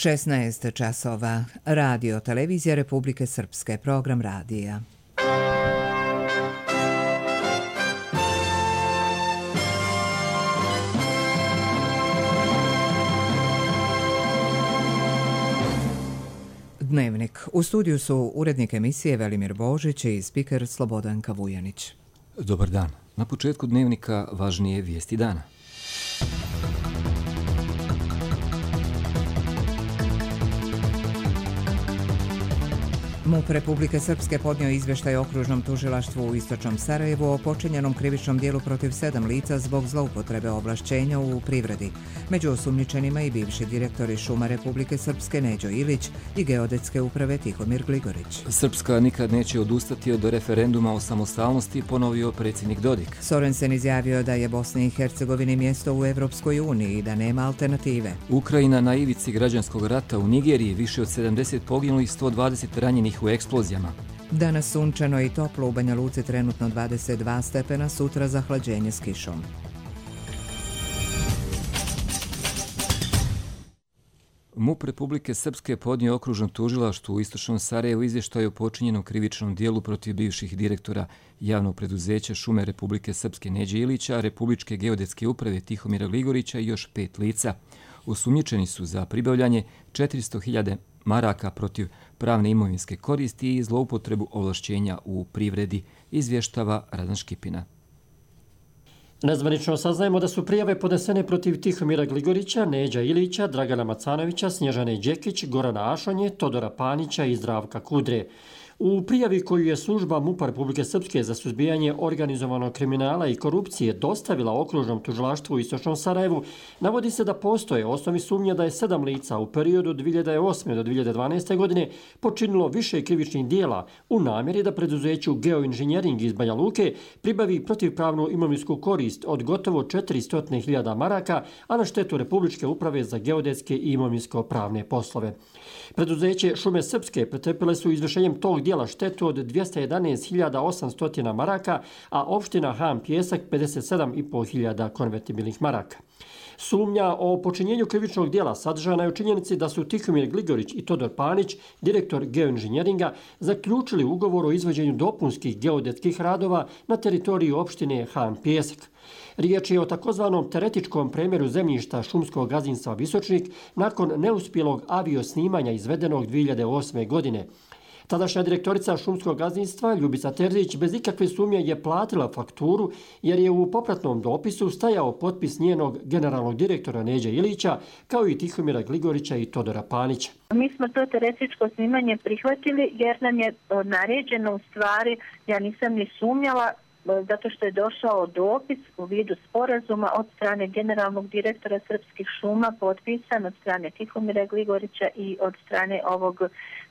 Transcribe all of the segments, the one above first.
16 časova. Radio Televizija Republike Srpske. Program radija. Dnevnik. U studiju su urednik emisije Velimir Božić i spiker Slobodanka Vujanić. Dobar dan. Na početku dnevnika važnije vijesti dana. MUP Republike Srpske podnio izvještaj okružnom tužilaštvu u Istočnom Sarajevu o počinjenom krivičnom dijelu protiv 7 lica zbog zloupotrebe ovlašćenja u privredi. Među osumnjičenima i bivši direktori šuma Republike Srpske Neđo Ilić i geodetske uprave Tihomir Gligorić. Srpska nikad neće odustati od referenduma o samostalnosti, ponovio predsjednik Dodik. Sorensen izjavio da je Bosni i Hercegovini mjesto u Evropskoj uniji i da nema alternative. Ukrajina na ivici građanskog rata, u Nigeriji više od 70 poginulih, 120 ranjenih u eksplozijama. Danas sunčano i toplo, u Banja Luci trenutno 22 stepena, sutra zahlađenje s kišom. MUP Republike Srpske podnio okružnom tužilaštvu u Istočnom Sarajevu izvještaj o počinjenom krivičnom dijelu protiv bivših direktora javnog preduzeća Šume Republike Srpske Neđe Ilića, Republičke geodetske uprave Tihomira Gligorića i još 5 lica. Osumnjičeni su za pribavljanje 400.000 maraka protiv pravne imovinske koristi i zloupotrebu ovlašćenja u privredi, izvještava Radan Škipina. Nezvanično saznajemo da su prijave podnesene protiv Tihomira Gligorića, Neđa Ilića, Dragana Macanovića, Snježane Đekić, Gorana Ašonje, Todora Panića i Zdravka Kudre. U prijavi koju je služba MUP Republike Srpske za suzbijanje organizovanog kriminala i korupcije dostavila okružnom tužilaštvu u Istočnom Sarajevu, navodi se da postoje osnovi sumnje da je 7 lica u periodu 2008. do 2012. godine počinilo više krivičnih dijela u namjeri da preduzeću Geoinženjering iz Banja Luke pribavi protivpravnu imovinsku korist od gotovo 400.000 maraka, a na štetu Republičke uprave za geodetske i imovinsko-pravne poslove. Preduzeće Šume Srpske pretrpile su izvršenjem tog dijela štetu od 211.800 maraka, a opština Ham Pjesak 57.500 konvertibilnih maraka. Sumnja o počinjenju krivičnog dijela sadržana je u činjenici da su Tihomir Gligorić i Todor Panić, direktor geoinženjeringa, zaključili ugovor o izvođenju dopunskih geodetskih radova na teritoriji opštine Han Pjesak. Riječ je o takozvanom teoretičkom premjeru zemljišta šumskog gazdinstva Visočnik nakon neuspjelog aviosnimanja izvedenog 2008. godine. Tadašnja direktorica šumskog gazdinstva Ljubica Terzić bez ikakve sumnje je platila fakturu jer je u popratnom dopisu stajao potpis njenog generalnog direktora Neđe Ilića kao i Tihomira Gligorića i Todora Panića. Mi smo to teoretičko snimanje prihvatili jer nam je naređeno, u stvari ja nisam ni sumnjala, zato što je došao dopis u vidu sporazuma od strane generalnog direktora Srpskih šuma, potpisan od strane Tihomira Gligorića i od strane ovog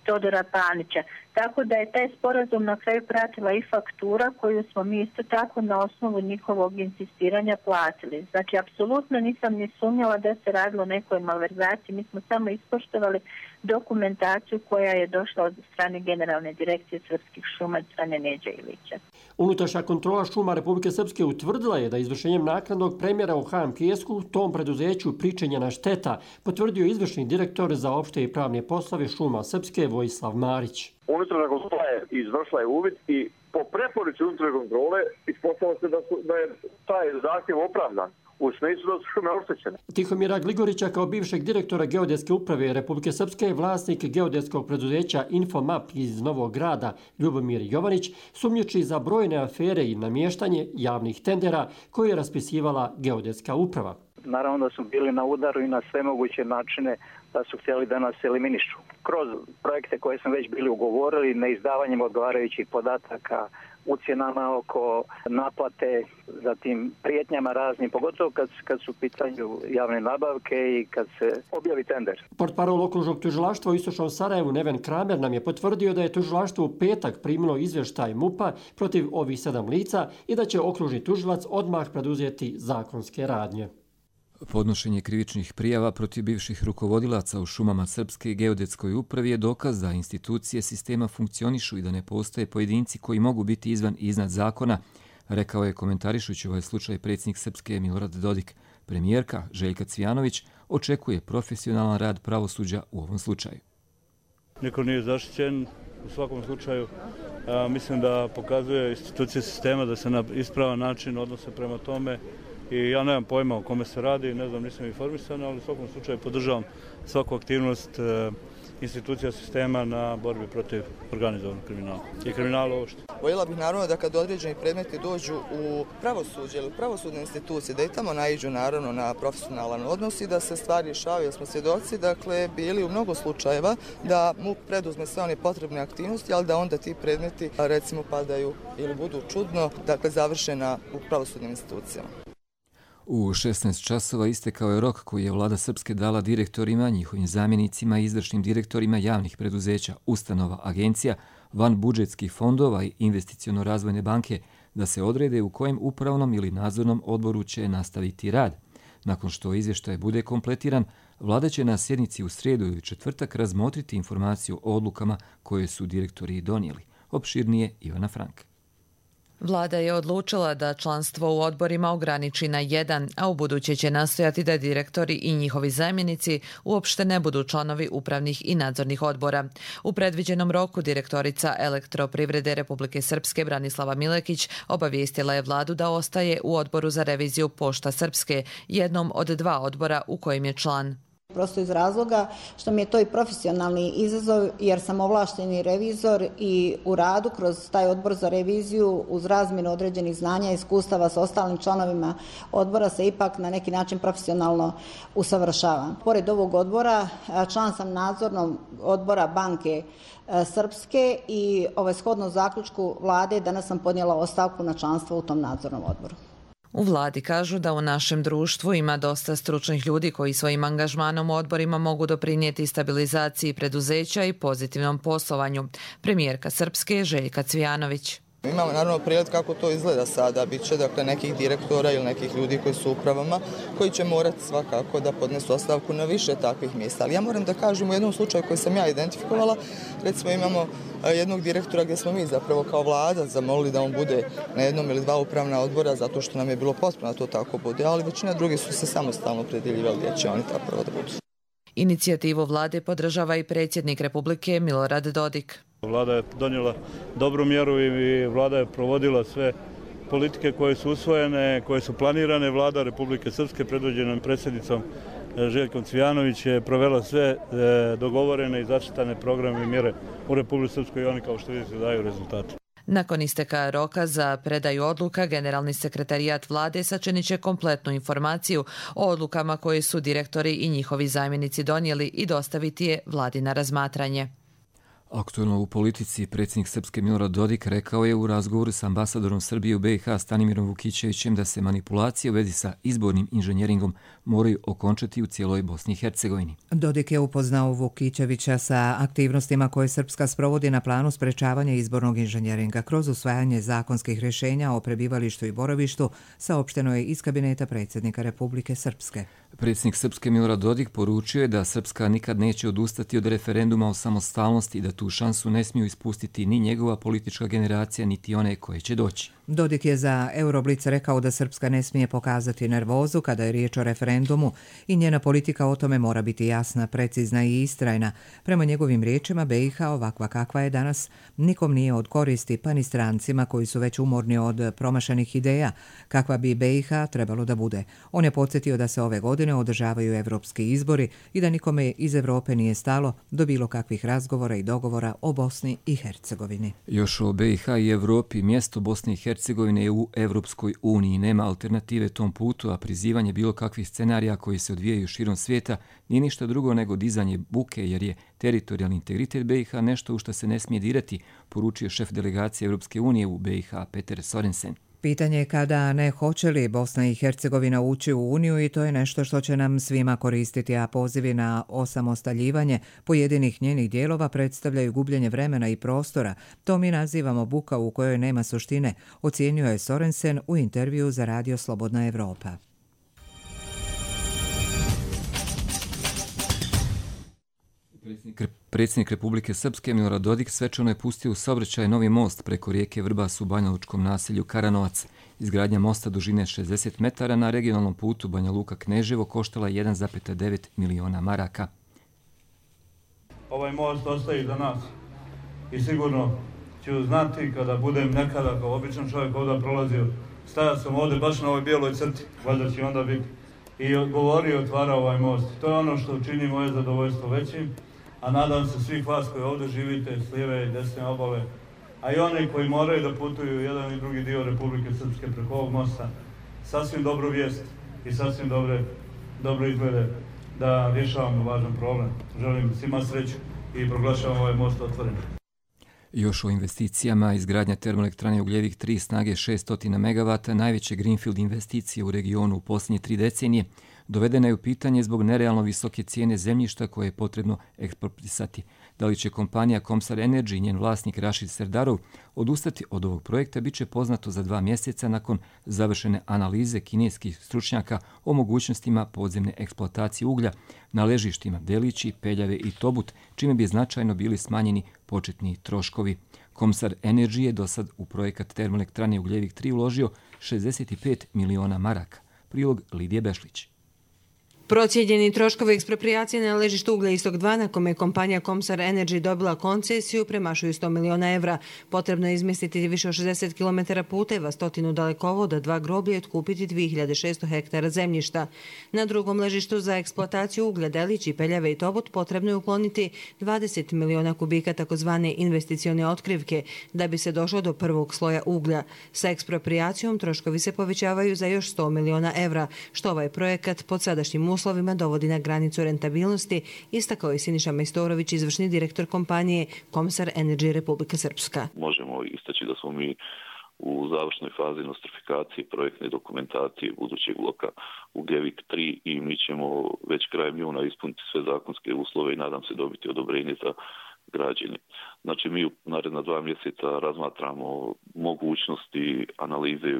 Todora Panića. Tako da je taj sporazum na kraju pratila i faktura koju smo mi isto tako na osnovu njihovog insistiranja platili. Znači, apsolutno nisam ni sumnjala da se radilo o nekoj malverzaciji. Mi smo samo ispoštovali dokumentaciju koja je došla od strane Generalne direkcije Srpskih šuma od strane Neđe Ilića. Unutrašnja kontrola šuma Republike Srpske utvrdila je da izvršenjem naknadnog premjera u Han Pjesku tom preduzeću pričinjena šteta, potvrdio izvršni direktor za opšte i pravne poslove šuma Srpske Vojislav Marić. Unutrašnja kontrola je izvršila uvid i po preporuci unutrašnje kontrole ispostavilo se da je taj zahtjev opravdan. U smislu da su šume oštećene. Tihomira Gligorića kao bivšeg direktora geodetske uprave Republike Srpske je vlasnik geodetskog preduzeća Infomap iz Novog Grada Ljubomir Jovanić sumnjiči za brojne afere i namještanje javnih tendera koje je raspisivala geodetska uprava. Naravno da su bili na udaru i na sve moguće načine da su htjeli da nas eliminišu. Kroz projekte koje smo već bili ugovorili, neizdavanjem odgovarajućih podataka, ucjenama oko naplate, zatim prijetnjama raznim, pogotovo kad su u pitanju javne nabavke i kad se objavi tender. Portparol okružnog tužilaštva u Istočnom Sarajevu Neven Kramer nam je potvrdio da je tužilaštvo u petak primilo izvještaj MUP-a protiv ovih 7 lica i da će okružni tužilac odmah preduzeti zakonske radnje. Podnošenje krivičnih prijava protiv bivših rukovodilaca u šumama Srpske geodetskoj upravi je dokaz da institucije sistema funkcionišu i da ne postoje pojedinci koji mogu biti izvan i iznad zakona, rekao je komentarišući ovaj slučaj predsjednik Srpske Milorad Dodik. Premijerka Željka Cvijanović očekuje profesionalan rad pravosuđa u ovom slučaju. Niko nije zaštićen u svakom slučaju. Mislim da pokazuje institucije sistema da se na ispravan način odnose prema tome i ja nemam pojma o kome se radi, ne znam, nisam informisan, ali u svakom slučaju podržavam svaku aktivnost institucija sistema na borbi protiv organizovanog kriminala i kriminala uopšte. Voljela bih naravno da kad određeni predmeti dođu u pravosuđe ili u pravosudne institucije, da i tamo naiđu naravno na profesionalan odnos i da se stvari rješavaju, jer smo svjedoci, dakle, bili u mnogo slučajeva da MUP preduzme sve one potrebne aktivnosti, ali da onda ti predmeti recimo padaju ili budu čudno, dakle, završena u pravosudnim institucijama. U 16 časova istekao je rok koji je vlada Srpske dala direktorima, njihovim zamjenicima i izvršnim direktorima javnih preduzeća, ustanova, agencija, vanbudžetskih fondova i investiciono-razvojne banke da se odrede u kojem upravnom ili nadzornom odboru će nastaviti rad. Nakon što izvještaj bude kompletiran, vlada će na sjednici u srijedu ili četvrtak razmotriti informaciju o odlukama koje su direktori donijeli. Opširnije Ivana Frank. Vlada je odlučila da članstvo u odborima ograniči na 1, a ubuduće će nastojati da direktori i njihovi zamjenici uopšte ne budu članovi upravnih i nadzornih odbora. U predviđenom roku direktorica Elektroprivrede Republike Srpske Branislava Milekić obavijestila je vladu da ostaje u odboru za reviziju Pošta Srpske, jednom od 2 odbora u kojem je član. Prosto iz razloga što mi je to i profesionalni izazov jer sam ovlašteni revizor i u radu kroz taj odbor za reviziju uz razmjenu određenih znanja i iskustava sa ostalim članovima odbora se ipak na neki način profesionalno usavršavam. Pored ovog odbora član sam nadzornog odbora Banke Srpske i shodno zaključku vlade danas sam podnijela ostavku na članstvo u tom nadzornom odboru. U vladi kažu da u našem društvu ima dosta stručnih ljudi koji svojim angažmanom u odborima mogu doprinijeti stabilizaciji preduzeća i pozitivnom poslovanju. Premijerka Srpske Željka Cvijanović. Imamo naravno priled kako to izgleda sada. Biće dakle nekih direktora ili nekih ljudi koji su u upravama koji će morati svakako da podnesu ostavku na više takvih mjesta. Ali ja moram da kažem u jednom slučaju koji sam ja identifikovala, recimo imamo jednog direktora gdje smo mi zapravo kao vlada zamolili da on bude na 1 ili 2 upravna odbora zato što nam je bilo potrebno da to tako bude, ali većina drugih su se samostalno opredjeljivali gdje će oni zapravo da budu. Inicijativu vlade podržava i predsjednik Republike Milorad Dodik. Vlada je donijela dobru mjeru i vlada je provodila sve politike koje su usvojene, koje su planirane. Vlada Republike Srpske predvođenom predsjednicom Željkom Cvijanović je provela sve dogovorene i zacrtane programe i mjere u Republici Srpskoj i oni kao što vidite daju rezultate. Nakon isteka roka za predaju odluka, generalni sekretarijat vlade sačinit će kompletnu informaciju o odlukama koje su direktori i njihovi zamjenici donijeli i dostaviti je vladi na razmatranje. Aktualno u politici predsjednik Srpske Milorad Dodik rekao je u razgovoru s ambasadorom Srbije u BiH Stanimirom Vukićevićem da se manipulacije u vezi sa izbornim inženjeringom moraju okončati u cijeloj Bosni i Hercegovini. Dodik je upoznao Vukićevića sa aktivnostima koje Srpska sprovodi na planu sprečavanja izbornog inženjeringa kroz usvajanje zakonskih rješenja o prebivalištu i boravištu, saopšteno je iz kabineta predsjednika Republike Srpske. Predsjednik Srpske Milorad Dodik poručio je da Srpska nikad neće odustati od referenduma o samostalnosti i da tu šansu ne smiju ispustiti ni njegova politička generacija, niti one koje će doći. Dodik je za Euroblic rekao da Srpska ne smije pokazati nervozu kada je riječ o referendumu i njena politika o tome mora biti jasna, precizna i istrajna. Prema njegovim riječima, BiH ovakva kakva je danas nikom nije od koristi, pa ni strancima koji su već umorni od promašenih ideja, kakva bi BiH trebalo da bude. On je podsjetio da se ove godine održavaju evropski izbori i da nikome iz Evrope nije stalo do bilo kakvih razgovora i dogovora o Bosni i Hercegovini. Još o BiH i Evropi, mjesto Bosne i Hercegovine je u Evropskoj uniji. Nema alternative tom putu, a prizivanje bilo kakvih scenarija koji se odvijaju širom svijeta nije ništa drugo nego dizanje buke, jer je teritorijalni integritet BiH nešto u što se ne smije dirati, poručio šef delegacije Evropske unije u BiH Peter Sorensen. Pitanje je kada ne hoće li Bosna i Hercegovina ući u Uniju i to je nešto što će nam svima koristiti, a pozivi na osamostaljivanje pojedinih njenih dijelova predstavljaju gubljenje vremena i prostora. To mi nazivamo buka u kojoj nema suštine, ocjenjuje Sorensen u intervju za Radio Slobodna Evropa. Predsjednik Republike Srpske Milorad Dodik svečano je pustio u saobraćaj novi most preko rijeke Vrbas u banjalučkom naselju Karanovac. Izgradnja mosta dužine 60 metara na regionalnom putu Banja Luka-Kneževo koštala 1,9 miliona maraka. Ovaj most ostaje za nas i sigurno ću znati kada budem nekada kao običan čovjek ovdje prolazio. Stajao sam ovdje baš na ovoj bijeloj crti, valjda će onda biti, i govorio i otvarao ovaj most. To je ono što čini moje zadovoljstvo većim, a nadam se svih vas koji ovdje živite s lijeve i desne obale, a i oni koji moraju da putuju jedan i drugi dio Republike Srpske preko ovog mosta, sasvim dobru vijest i sasvim dobre izglede da rješavamo važan problem. Želim svima sreću i proglašavam ovaj most otvoren. Još o investicijama, izgradnja termoelektrane Ugljevik 3 snage 600 MW, najveće greenfield investicije u regionu u posljednje 3 decenije, dovedena je u pitanje zbog nerealno visoke cijene zemljišta koje je potrebno eksproprisati. Da li će kompanija Komsar Energy i njen vlasnik Rašid Serdarov odustati od ovog projekta, bit će poznato za 2 mjeseca nakon završene analize kineskih stručnjaka o mogućnostima podzemne eksploatacije uglja na ležištima Delići, Peljave i Tobut, čime bi značajno bili smanjeni početni troškovi. Komsar Energy je do sad u projekat termoelektrane Ugljevik 3 uložio 65 miliona maraka. Prilog Lidije Bešlić. Procijenjeni troškovi eksproprijacije na ležištu Uglja Istok 2, na kome je kompanija Komsar Energy dobila koncesiju, premašuju 100 miliona evra. Potrebno je izmjestiti više od 60 km puteva, 100 dalekovoda, 2 groblja i otkupiti 2600 hektara zemljišta. Na drugom ležištu za eksploataciju uglja Delići, Peljave i Tobut potrebno je ukloniti 20 miliona kubika takozvane investicione otkrivke da bi se došlo do prvog sloja uglja. Sa eksproprijacijom troškovi se povećavaju za još 100 miliona evra, što ovaj projekat pod sadašnjim uslovima dovodi na granicu rentabilnosti, istakao je Siniša Majstorović, izvršni direktor kompanije Komsar Energy Republika Srpska. Možemo istaći da smo mi u završnoj fazi nostrifikacije projektne dokumentacije budućeg bloka Ugljevik 3 i mi ćemo već krajem juna ispuniti sve zakonske uslove i nadam se dobiti odobrenje za građenje. Znači mi u naredna 2 mjeseca razmatramo mogućnosti analize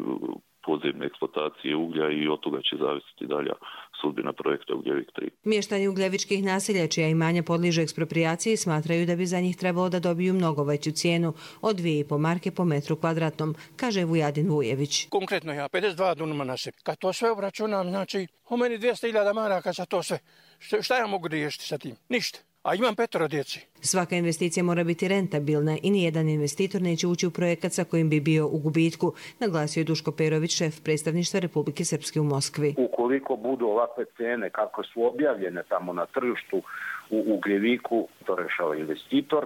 podzemne eksploatacije uglja i od toga će zavisiti dalja sudbina projekta Ugljevik 3. Mještani ugljevičkih naselja čija imanja podliže ekspropriaciji smatraju da bi za njih trebalo da dobiju mnogo veću cijenu od 2,5 marke po metru kvadratnom, kaže Vujadin Vujević. Konkretno ja 52 dunuma na sebi. Kad to sve obračunam, znači u meni 200.000 maraka za to sve. Šta ja mogu riješiti sa tim? Ništa. A imam 5 djeci. Svaka investicija mora biti rentabilna i nijedan investitor neće ući u projekat sa kojim bi bio u gubitku, naglasio je Duško Perović, šef predstavništva Republike Srpske u Moskvi. Ukoliko budu ovakve cene kako su objavljene tamo na tržištu u Ugljeviku, to rešava investitor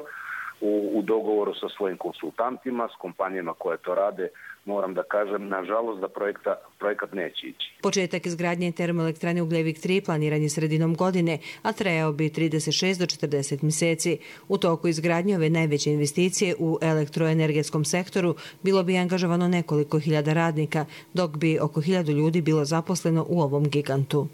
u dogovoru sa svojim konsultantima, s kompanijama koje to rade. Moram da kažem, nažalost, da projekat neće ići. Početak izgradnje termoelektrane Ugljevik 3 planiran je sredinom godine, a trajao bi 36 do 40 mjeseci. U toku izgradnje ove najveće investicije u elektroenergetskom sektoru bilo bi angažovano nekoliko hiljada radnika, dok bi oko 1000 ljudi bilo zaposleno u ovom gigantu.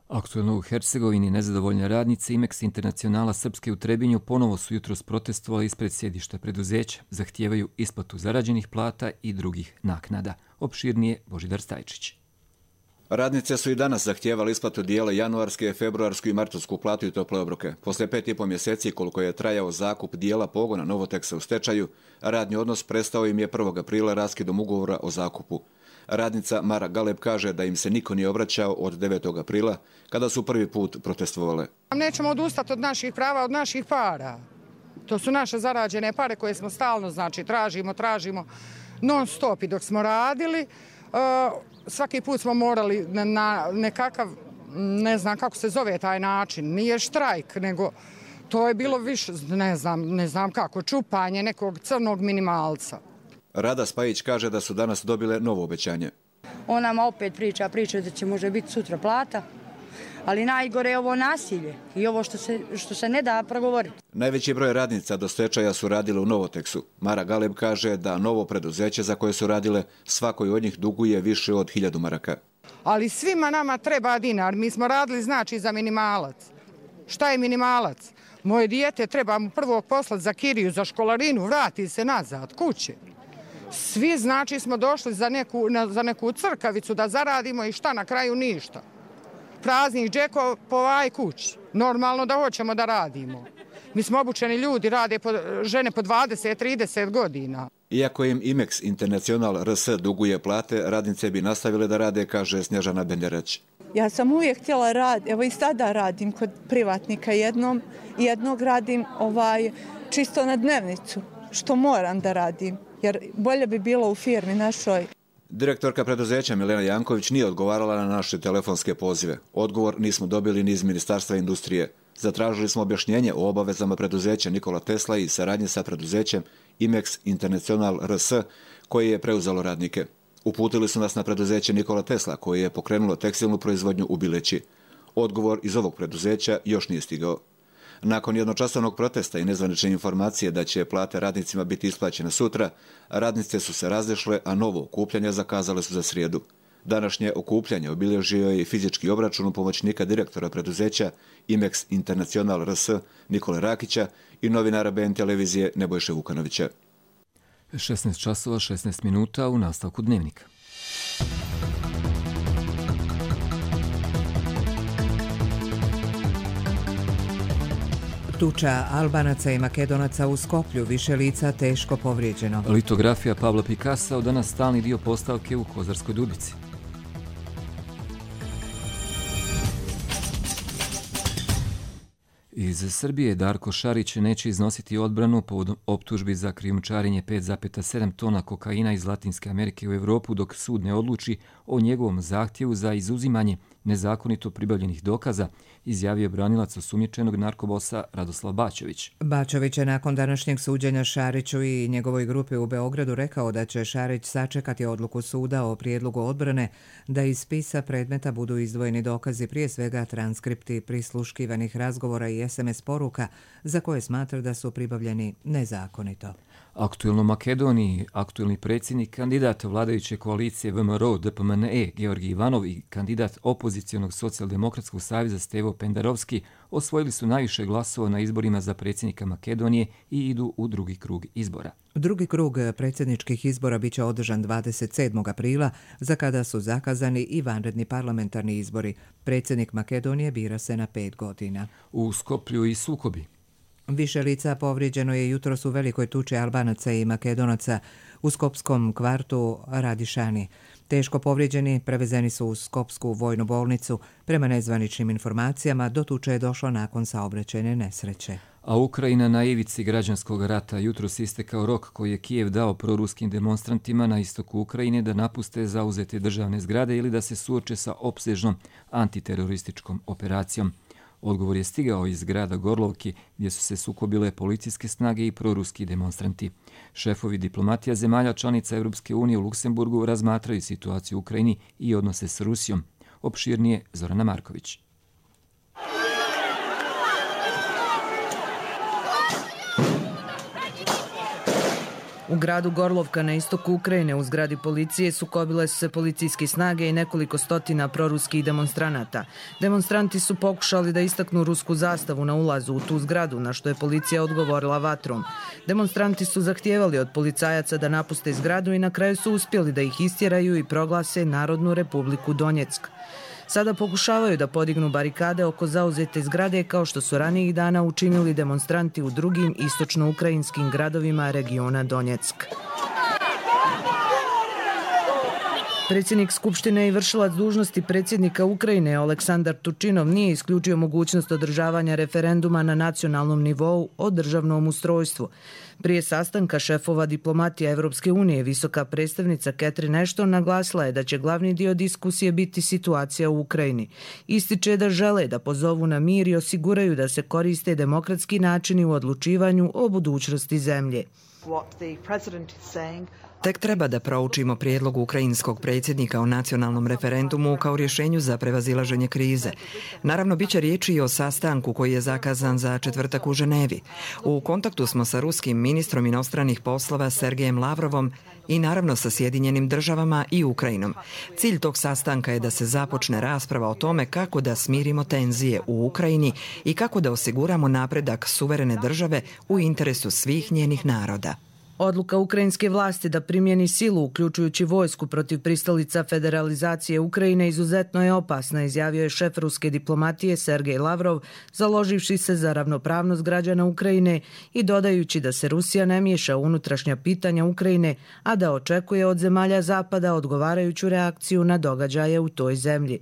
Aktuelno u Hercegovini nezadovoljne radnice Imex Internacionala Srpske u Trebinju ponovo su jutros protestovali ispred sjedišta preduzeća, zahtijevaju isplatu zarađenih plata i drugih naknada. Opširnije Božidar Stajčić. Radnice su i danas zahtijevali isplatu dijela januarske, februarsku i martovsku platu i tople obroke. Poslije 5,5 mjeseci koliko je trajao zakup dijela pogona Novoteksa u stečaju, radni odnos prestao im je 1. aprila raskidom ugovora o zakupu. Radnica Mara Galeb kaže da im se niko nije obraćao od 9. aprila, kada su prvi put protestovale. Nećemo odustati od naših prava, od naših para. To su naše zarađene pare koje smo stalno, tražimo non stop. I dok smo radili, svaki put smo morali na nekakav, ne znam kako se zove taj način, nije štrajk, nego to je bilo više, ne znam kako, čupanje nekog crnog minimalca. Rada Spajić kaže da su danas dobile novo obećanje. On nama opet priča da će može biti sutra plata, ali najgore je ovo nasilje i ovo što se ne da progovoriti. Najveći broj radnica do stečaja su radile u Novoteksu. Mara Galeb kaže da novo preduzeće za koje su radile svakoj od njih duguje više od 1000 maraka. Ali svima nama treba dinar, mi smo radili znači za minimalac. Šta je minimalac? Moje dijete treba mu prvo poslati za kiriju, za školarinu, vrati se nazad kuće. Svi znači smo došli za neku crkavicu da zaradimo i šta na kraju ništa. praznih džekova kući. Normalno da hoćemo da radimo. Mi smo obučeni ljudi, rade žene po 20-30 godina. Iako im Imex International RS duguje plate, radnice bi nastavile da rade, kaže Snježana Benderać. Ja sam uvijek htjela raditi, evo i sada radim kod privatnika jednog radim čisto na dnevnicu, što moram da radim, jer bolje bi bilo u firmi našoj. Direktorka preduzeća Milena Janković nije odgovarala na naše telefonske pozive. Odgovor nismo dobili ni iz Ministarstva industrije. Zatražili smo objašnjenje o obavezama preduzeća Nikola Tesla i saradnje sa preduzećem Imex International RS, koje je preuzelo radnike. Uputili su nas na preduzeće Nikola Tesla, koje je pokrenulo tekstilnu proizvodnju u Bileći. Odgovor iz ovog preduzeća još nije stigao. Nakon jednočasovnog protesta i nezvanične informacije da će plate radnicima biti isplaćene sutra, radnice su se razišle, a novo okupljanje zakazale su za srijedu. Današnje okupljanje obilježio je i fizički obračun pomoćnika direktora preduzeća Imex International RS Nikole Rakića i novinara BN televizije Nebojše Vukanovića. 16 časova 16 minuta u nastavku dnevnika. Tuča Albanaca i Makedonaca u Skoplju, više lica teško povrijeđeno. Litografija Pabla Picassa danas stalni dio postavke u Kozarskoj Dubici. Iz Srbije Darko Šarić neće iznositi odbranu povodom optužbi za krijumčarenje 5,7 tona kokaina iz Latinske Amerike u Europu dok sud ne odluči o njegovom zahtjevu za izuzimanje nezakonito pribavljenih dokaza, izjavio branilac osumnjičenog narkobosa Radoslav Bačović. Bačović je nakon današnjeg suđenja Šariću i njegovoj grupi u Beogradu rekao da će Šarić sačekati odluku suda o prijedlogu odbrane da iz spisa predmeta budu izdvojeni dokazi, prije svega transkripti prisluškivanih razgovora i SMS poruka za koje smatra da su pribavljeni nezakonito. Aktuelno Makedoniji, aktuelni predsjednik, kandidat vladajuće koalicije VMRO DPMNE Georgi Ivanov i kandidat opozicionog socijaldemokratskog saveza Stevo Pendarovski osvojili su najviše glasova na izborima za predsjednika Makedonije i idu u drugi krug izbora. Drugi krug predsjedničkih izbora biće održan 27. aprila, za kada su zakazani i vanredni parlamentarni izbori. Predsjednik Makedonije bira se na 5 godina. U Skoplju i sukobi. Više lica povrijeđeno je jutros u velikoj tuči Albanaca i Makedonaca u skopskom kvartu Radišani. Teško povrijeđeni prevezeni su u skopsku vojnu bolnicu. Prema nezvaničnim informacijama, do tuče je došlo nakon saobraćajne nesreće. A Ukrajina na ivici građanskog rata. Jutros istekao rok koji je Kijev dao proruskim demonstrantima na istoku Ukrajine da napuste zauzete državne zgrade ili da se suoče sa opsežnom antiterorističkom operacijom. Odgovor je stigao iz grada Gorlovki, gdje su se sukobile policijske snage i proruski demonstranti. Šefovi diplomatija zemalja članica Europske unije u Luksemburgu razmatraju situaciju u Ukrajini i odnose s Rusijom. Opširnije Zorana Marković. U gradu Gorlovka na istoku Ukrajine u zgradi policije sukobile su se policijske snage i nekoliko stotina proruskih demonstranata. Demonstranti su pokušali da istaknu rusku zastavu na ulazu u tu zgradu, na što je policija odgovorila vatrom. Demonstranti su zahtijevali od policajaca da napuste zgradu i na kraju su uspjeli da ih istjeraju i proglase Narodnu republiku Donjeck. Sada pokušavaju da podignu barikade oko zauzete zgrade kao što su ranijih dana učinili demonstranti u drugim istočno-ukrajinskim gradovima regiona Donjeck. Predsjednik Skupštine i vršilac dužnosti predsjednika Ukrajine Oleksandar Turčinov nije isključio mogućnost održavanja referenduma na nacionalnom nivou o državnom ustrojstvu. Prije sastanka šefova diplomatija Evropske unije visoka predstavnica Catherine Ashton naglasila je da će glavni dio diskusije biti situacija u Ukrajini. Ističe da žele da pozovu na mir i osiguraju da se koriste demokratski načini u odlučivanju o budućnosti zemlje. Tek treba da proučimo prijedlog ukrajinskog predsjednika o nacionalnom referendumu kao rješenju za prevazilaženje krize. Naravno, bit će riječi i o sastanku koji je zakazan za četvrtak u Ženevi. U kontaktu smo sa ruskim ministrom inostranih poslova Sergejem Lavrovom i naravno sa Sjedinjenim državama i Ukrajinom. Cilj tog sastanka je da se započne rasprava o tome kako da smirimo tenzije u Ukrajini i kako da osiguramo napredak suverene države u interesu svih njenih naroda. Odluka ukrajinske vlasti da primjeni silu, uključujući vojsku protiv pristalica federalizacije Ukrajine, izuzetno je opasna, izjavio je šef ruske diplomatije Sergej Lavrov, založivši se za ravnopravnost građana Ukrajine i dodajući da se Rusija ne miješa u unutrašnja pitanja Ukrajine, a da očekuje od zemalja Zapada odgovarajuću reakciju na događaje u toj zemlji.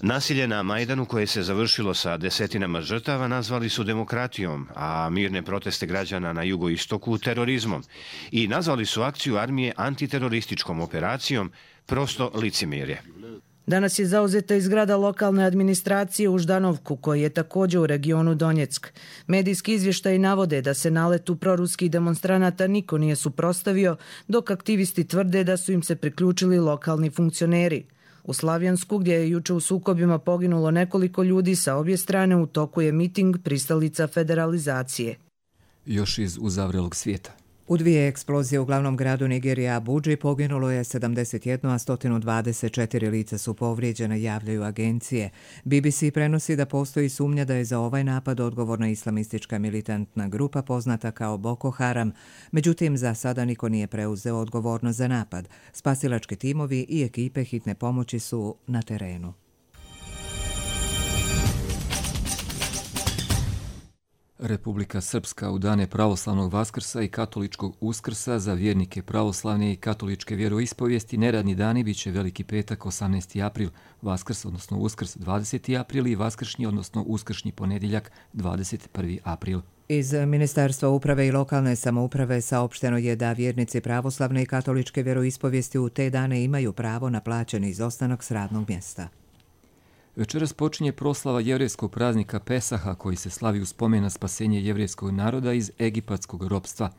Nasilje na Majdanu koje se završilo sa desetinama žrtava nazvali su demokratijom, a mirne proteste građana na jugoistoku terorizmom i nazvali su akciju armije antiterorističkom operacijom, prosto licemjerje. Danas je zauzeta i zgrada lokalne administracije u Ždanovku, koji je također u regionu Donjeck. Medijski izvještaji navode da se naletu proruskih demonstranata niko nije suprotstavio, dok aktivisti tvrde da su im se priključili lokalni funkcioneri. U Slavjansku, gdje je juče u sukobima poginulo nekoliko ljudi sa obje strane, u toku je miting pristalica federalizacije. Još iz uzavrelog svijeta. U 2 eksplozije u glavnom gradu Nigerije Abudži poginulo je 71, a 124 lica su povrijeđena, javljaju agencije. BBC prenosi da postoji sumnja da je za ovaj napad odgovorna islamistička militantna grupa poznata kao Boko Haram. Međutim, za sada niko nije preuzeo odgovornost za napad. Spasilački timovi i ekipe hitne pomoći su na terenu. Republika Srpska u dane pravoslavnog Vaskrsa i katoličkog Uskrsa za vjernike pravoslavne i katoličke vjeroispovijesti neradni dani bit će Veliki petak 18. april, Vaskrs odnosno Uskrs 20. april i Vaskršnji odnosno Uskršnji ponedjeljak 21. april. Iz Ministarstva uprave i lokalne samouprave saopšteno je da vjernici pravoslavne i katoličke vjeroispovijesti u te dane imaju pravo na plaćeni izostanak s radnog mjesta. Večeras počinje proslava jevrejskog praznika Pesaha koji se slavi u spomen na spasenje jevrejskog naroda iz egipatskog ropstva.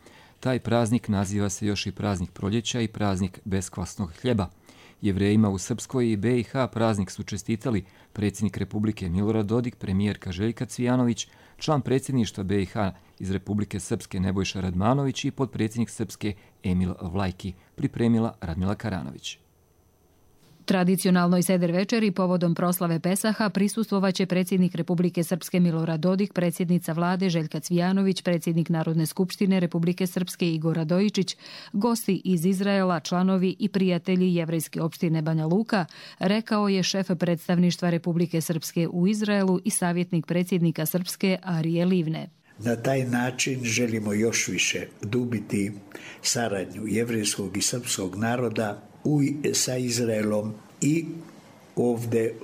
Taj praznik naziva se još i praznik proljeća i praznik beskvasnog hljeba. Jevrejima u Srpskoj i BiH praznik su čestitali predsjednik Republike Milorad Dodik, premijerka Željka Cvijanović, član predsjedništva BiH iz Republike Srpske Nebojša Radmanović i potpredsjednik Srpske Emil Vlajki, pripremila Radmila Karanović. Tradicionalnoj seder večeri povodom proslave Pesaha prisustvovaće predsjednik Republike Srpske Milorad Dodik, predsjednica vlade Željka Cvijanović, predsjednik Narodne skupštine Republike Srpske Igor Radojičić, gosti iz Izraela, članovi i prijatelji jevrejske opštine Banja Luka, rekao je šef predstavništva Republike Srpske u Izraelu i savjetnik predsjednika Srpske Arije Livne. Na taj način želimo još više dubiti saradnju jevrejskog i srpskog naroda sa Izraelom i ovdje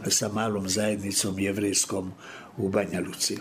sa malom zajednicom jevrejskom u Banja Luci.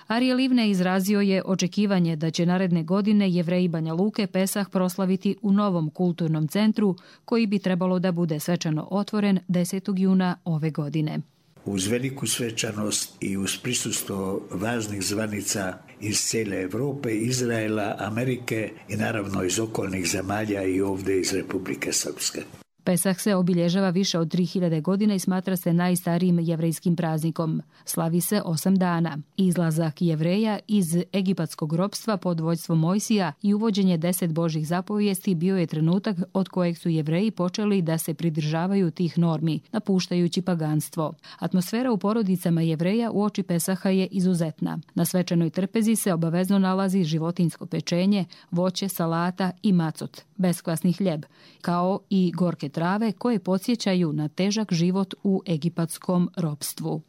Arije Livne izrazio je očekivanje da će naredne godine Jevreji Banja Luke Pesah proslaviti u novom kulturnom centru koji bi trebalo da bude svečano otvoren 10. juna ove godine. Uz veliku svečanost i uz prisustvo važnih zvanica iz cijele Europe, Izraela, Amerike i naravno iz okolnih zemalja i ovdje iz Republike Srpske. Pesah se obilježava više od 3000 godina i smatra se najstarijim jevrejskim praznikom. Slavi se 8 dana. Izlazak Jevreja iz egipatskog ropstva pod vođstvom Mojsija i uvođenje 10 Božjih zapovijesti bio je trenutak od kojeg su Jevreji počeli da se pridržavaju tih normi, napuštajući paganstvo. Atmosfera u porodicama Jevreja uoči Pesaha je izuzetna. Na svečanoj trpezi se obavezno nalazi životinjsko pečenje, voće, salata i macot, beskvasni hljeb, kao i gorke trave koje podsjećaju na težak život u egipatskom ropstvu.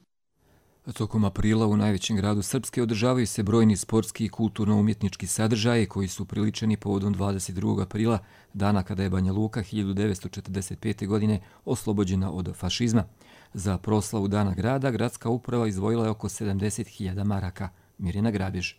Tokom aprila u najvećem gradu Srpske održavaju se brojni sportski i kulturno-umjetnički sadržaje koji su priličeni povodom 22. aprila, dana kada je Banja Luka 1945. godine oslobođena od fašizma. Za proslavu Dana grada gradska uprava izdvojila je oko 70.000 maraka. Mirjana Grabež.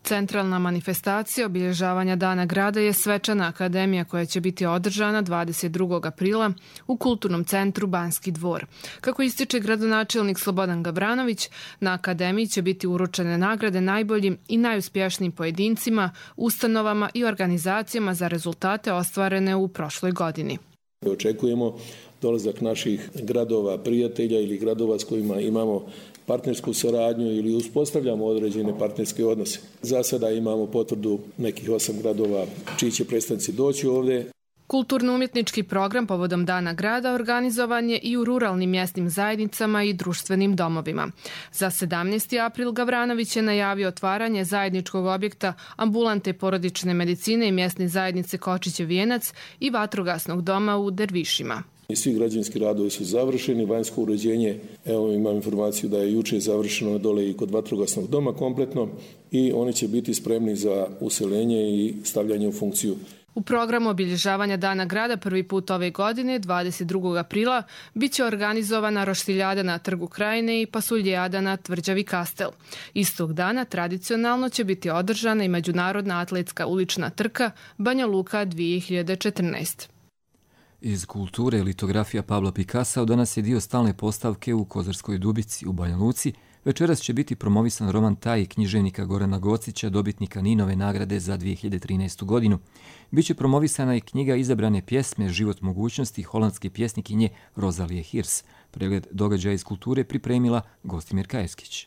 Centralna manifestacija obilježavanja Dana grada je svečana akademija koja će biti održana 22. aprila u kulturnom centru Banski dvor. Kako ističe gradonačelnik Slobodan Gavranović, na akademiji će biti uručene nagrade najboljim i najuspješnijim pojedincima, ustanovama i organizacijama za rezultate ostvarene u prošloj godini. Očekujemo dolazak naših gradova prijatelja ili gradova s kojima imamo partnersku saradnju ili uspostavljamo određene partnerske odnose. Za sada imamo potvrdu nekih 8 gradova čiji će predstavnici doći ovdje. Kulturno-umjetnički program povodom Dana grada organizovan je i u ruralnim mjesnim zajednicama i društvenim domovima. Za 17. april Gavranović je najavio otvaranje zajedničkog objekta ambulante porodične medicine i mjesne zajednice Kočiće Vijenac i vatrogasnog doma u Dervišima. Svi građevinski radovi su završeni, vanjsko uređenje, evo imam informaciju da je jučer završeno dole i kod vatrogasnog doma kompletno i oni će biti spremni za useljenje i stavljanje u funkciju. U programu obilježavanja Dana grada prvi put ove godine, 22. aprila, bit će organizovana roštiljada na Trgu Krajine i pasuljada na Tvrđavi Kastel. Istog dana tradicionalno će biti održana i Međunarodna atletska ulična trka Banja Luka 2014. Iz kulture litografija Pabla Picassa danas je dio stalne postavke u Kozarskoj Dubici u Banja Luci. Večeras će biti promovisan roman Taj književnika Gorana Gocića, dobitnika Ninove nagrade za 2013. godinu. Biće promovisana i knjiga izabrane pjesme Život mogućnosti holandske pjesnikinje Rozalije Hirs. Pregled događaja iz kulture pripremila Gostimir Kajeskić.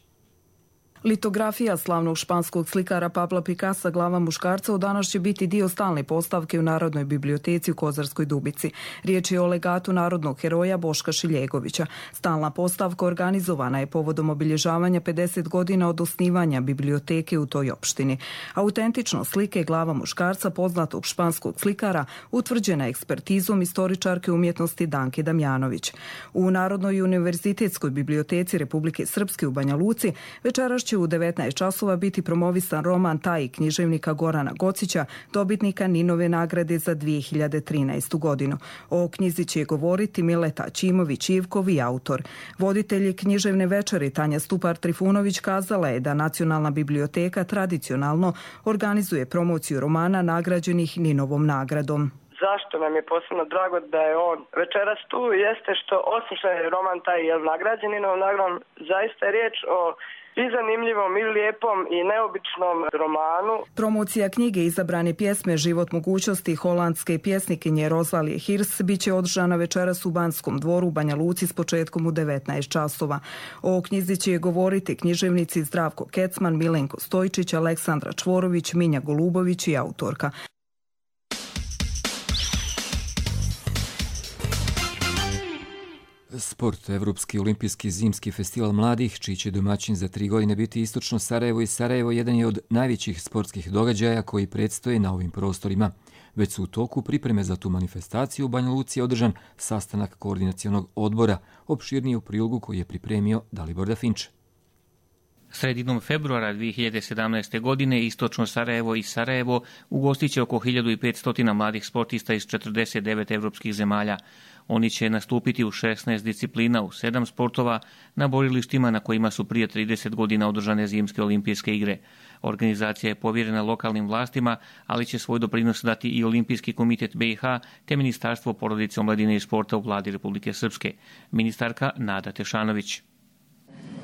Litografija slavnog španskog slikara Pabla Picassa Glava muškarca od danas će biti dio stalne postavke u Narodnoj biblioteci u Kozarskoj Dubici. Riječ je o legatu narodnog heroja Boška Šiljegovića. Stalna postavka organizovana je povodom obilježavanja 50 godina od osnivanja biblioteke u toj opštini. Autentičnost slike Glava muškarca poznatog španskog slikara utvrđena je ekspertizom istoričarke umjetnosti Danke Damjanović. U Narodnoj univerzitetskoj biblioteci Republike Srpske u Banja Luci večeras će u 19 časova biti promovisan roman Taj književnika Gorana Gocića, dobitnika Ninove nagrade za 2013. godinu. O knjizi će govoriti Mileta Ćimović-Ivkov i autor. Voditelji književne večeri Tanja Stupar-Trifunović kazala je da Nacionalna biblioteka tradicionalno organizuje promociju romana nagrađenih Ninovom nagradom. Zašto nam je posebno drago da je on večeras tu jeste što osim što je roman Taj nagrađen Ninovom nagradom, zaista je riječ o i zanimljivom i lijepom i neobičnom romanu. Promocija knjige izabrane pjesme Život mogućnosti holandske pjesnikinje Rozalije Hirs bit će održana večeras u Banskom dvoru u Banja Luci s početkom u 19 časova. O knjizi će govoriti književnici Zdravko Kecman, Milenko Stojčić, Aleksandra Čvorović, Minja Golubović i autorka. Sport, Evropski olimpijski zimski festival mladih, čiji će domaćin za 3 godine biti istočno Sarajevo i Sarajevo, jedan je od najvećih sportskih događaja koji predstoje na ovim prostorima. Već su u toku pripreme za tu manifestaciju u Banja Luci je održan sastanak koordinacionog odbora, opširniji u prilogu koji je pripremio Dalibor Dafinč. Sredinom februara 2017. godine istočno Sarajevo i Sarajevo ugostit će oko 1500 mladih sportista iz 49 evropskih zemalja. Oni će nastupiti u 16 disciplina u 7 sportova na borilištima na kojima su prije 30 godina održane zimske olimpijske igre. Organizacija je povjerena lokalnim vlastima, ali će svoj doprinos dati i Olimpijski komitet BiH te Ministarstvo porodice, omladine i sporta u Vladi Republike Srpske. Ministarka Nada Tešanović.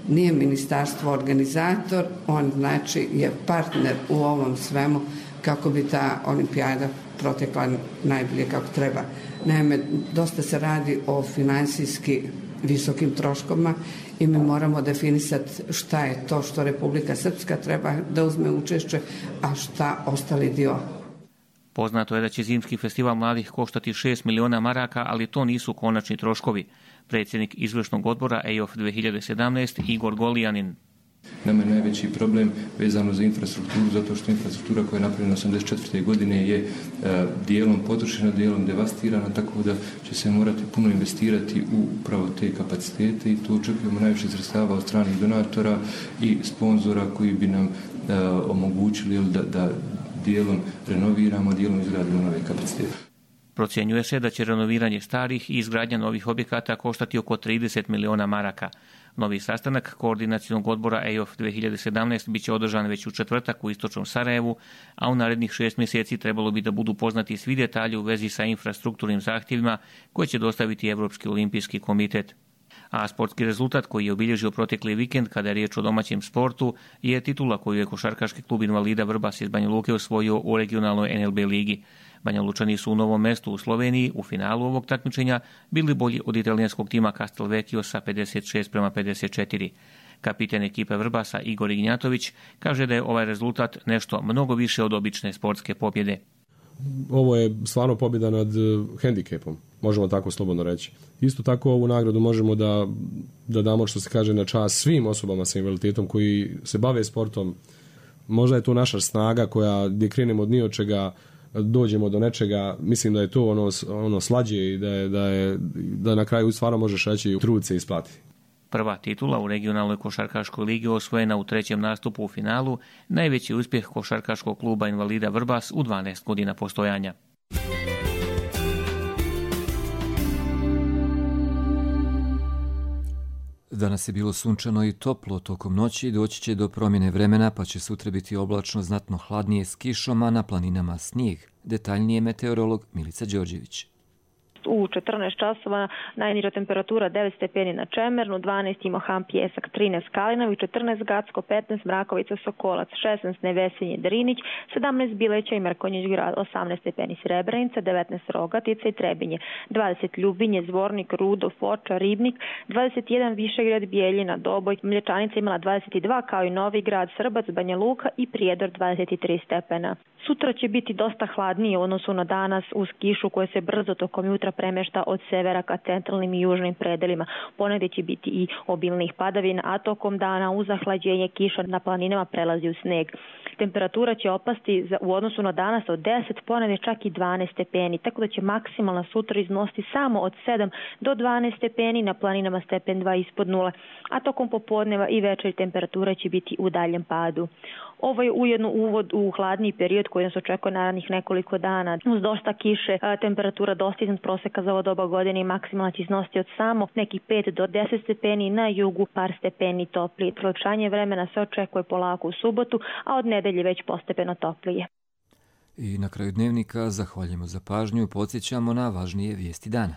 Nije ministarstvo organizator, on znači je partner u ovom svemu kako bi ta olimpijada protekla najbolje kako treba. Naime, dosta se radi o finansijski visokim troškovima i mi moramo definisati šta je to što Republika Srpska treba da uzme učešće, a šta ostali dio. Poznato je da će zimski festival mladih koštati 6 miliona maraka, ali to nisu konačni troškovi. Predsjednik izvršnog odbora EOF 2017 Igor Golijanin. Nama je najveći problem vezano za infrastrukturu, zato što infrastruktura koja je napravljena 1984. godine je dijelom potrošena, dijelom devastirana, tako da će se morati puno investirati u upravo te kapacitete i tu očekujemo najviše sredstava od stranih donatora i sponzora koji bi nam omogućili da dijelom renoviramo, dijelom izgradimo nove kapacitete. Procjenjuje se da će renoviranje starih i izgradnja novih objekata koštati oko 30 miliona maraka. Novi sastanak koordinacionog odbora EOF 2017 bit će održan već u četvrtak u istočnom Sarajevu, a u narednih 6 mjeseci trebalo bi da budu poznati svi detalji u vezi sa infrastrukturnim zahtjevima koje će dostaviti Evropski olimpijski komitet. A sportski rezultat koji je obilježio protekli vikend kada je riječ o domaćem sportu je titula koju je košarkaški klub invalida Vrbas iz Banja Luke osvojio u regionalnoj NLB ligi. Banja Lučani su u Novom Mestu u Sloveniji u finalu ovog takmičenja bili bolji od italijanskog tima Castelvecchio sa 56-54. Kapitan ekipe Vrbasa Igor Ignjatović kaže da je ovaj rezultat nešto mnogo više od obične sportske pobjede. ovo je stvarno pobjeda nad hendikepom, možemo tako slobodno reći. Isto tako ovu nagradu možemo da damo, što se kaže, na čast svim osobama sa invaliditetom koji se bave sportom. Možda je to naša snaga gdje krenemo od ničega, dođemo do nečega. Mislim da je to ono slađe i da na kraju stvarno možeš reći trud se isplati. Prva titula u regionalnoj košarkaškoj ligi osvojena u 3. nastupu u finalu, najveći uspjeh košarkaškog kluba invalida Vrbas u 12 godina postojanja. Danas je bilo sunčano i toplo, tokom noći doći će do promjene vremena, pa će sutra biti oblačno, znatno hladnije s kišom, a na planinama snijeg. Detaljnije meteorolog Milica Đorđević. U 14 časova najniža temperatura 9 stepeni na Čemernu, 12 Imohan Pjesak, 13 Kalinovi, 14 Gacko, 15 Mrakovica Sokolac, 16 Nevesinje Drinić, 17 Bileća i Mrkonjić grad, 18 stepeni Srebrenica, 19 Rogatica i Trebinje, 20 Ljubinje, Zvornik, Rudo, Foča, Ribnik, 21 Višegrad, Bijeljina, Doboj, Mlječanica imala 22 kao i Novi grad, Srbac, Banja Luka i Prijedor 23 stepena. Sutra će biti dosta hladnije u odnosu na danas uz kišu koja se brzo tokom jutra premešta od severa ka centralnim i južnim predelima. Ponegdje će biti i obilnih padavina, a tokom dana uz zahlađenje kiša na planinama prelazi u sneg. Temperatura će opasti u odnosu na danas od 10, ponegdje čak i 12 stepeni, tako da će maksimalna sutra iznositi samo od 7 do 12 stepeni, na planinama stepen 2 ispod nule, a tokom popodneva i večeri temperatura će biti u daljem padu. Ovo je ujedno uvod u hladniji period koji nas očekuje narednih nekoliko dana. Uz dosta kiše temperatura dosta iznad proseka za ovo doba godine i maksimalna će iznositi od samo nekih 5 do 10 stepeni, na jugu par stepeni toplije. Polepšanje vremena se očekuje polako u subotu, a od nedelje već postepeno toplije. I na kraju dnevnika zahvaljujemo za pažnju i podsjećamo na važnije vijesti dana.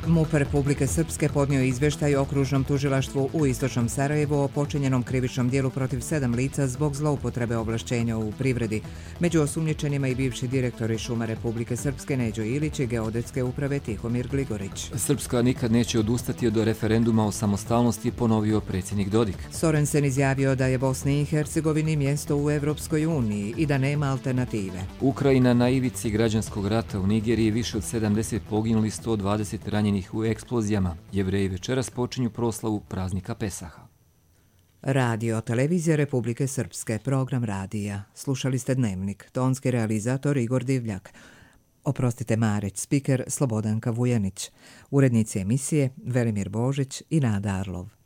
MUP Republike Srpske podnio izvještaj okružnom tužilaštvu u Istočnom Sarajevu o počinjenom krivičnom dijelu protiv 7 lica zbog zloupotrebe ovlašćenja u privredi. Među osumnjičenima i bivši direktori šuma Republike Srpske Neđo Ilić i Geodetske uprave Tihomir Gligorić. Srpska nikad neće odustati od referenduma o samostalnosti, ponovio predsjednik Dodik. Sorensen izjavio da je Bosni i Hercegovini mjesto u Evropskoj uniji i da nema alternative. Ukrajina na ivici građanskog rata, u Nigeriji više od 70 poginuli, 120 ranjenih u eksplozijama. Jevreji večeras počinju proslavu praznika Pesaha. Radio Televizija Republike Srpske, program radija. Slušali ste Dnevnik, tonski realizator Igor Divljak. Mareć, spiker Slobodanka Vujanić. Urednici emisije Velimir Božić i Nada Arlov.